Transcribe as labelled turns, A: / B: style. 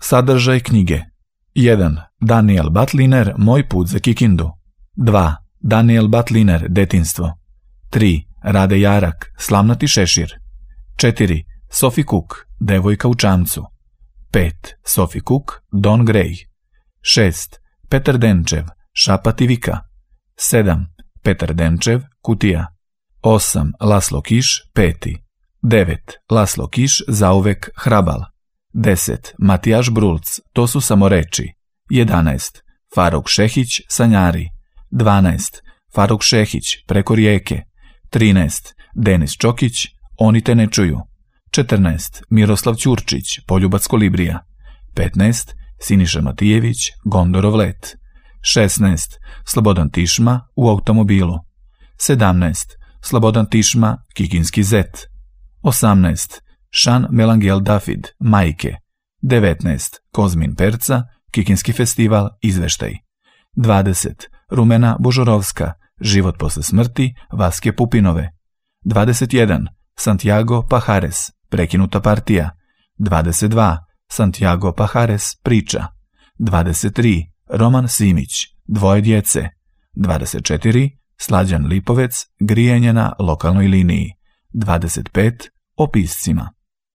A: Sadržaj knjige: 1. Daniel Batliner, Moj put za Kikindu. 2. Daniel Batliner, Detinjstvo. 3. Rade Jarak, Slamnati šešir. 4. Sophie Cook, Devojka u čamcu. 5. Sophie Cook, Don Gray. 6. Petar Denčev, Šapat i Vika. 7. Petar Denčev, Kutija. 8. Laslo Kiš, Peti. 9. Laslo Kiš, Zauvek Hrabal. 10. Matijaš Brulc, To su samo reči. 11. Faruk Šehić, Sanjari. 12. Faruk Šehić, Preko rijeke. 13. Denis Čokić, Oni te ne čuju. 14. Miroslav Ćurčić, Poljubac Kolibrija. 15. Siniša Matijević, Gondorov let. 16. Slobodan Tišma, U automobilu. 17. Slobodan Tišma, Kikinski zet. 18. Šan Melangel Dafid, Majke. 19. Kozmin Perca, Kikinski festival, Izveštaj. 20. Rumena Božorovska, Život posle smrti, Vaske Pupinove. 21. Santiago Pajares, Prekinuta partija. 22. Santiago Pajares, Priča. 23. Roman Simić, Dvoje djece. 24. Slađan Lipovec, Grijanje na lokalnoj liniji. 25. O piscima.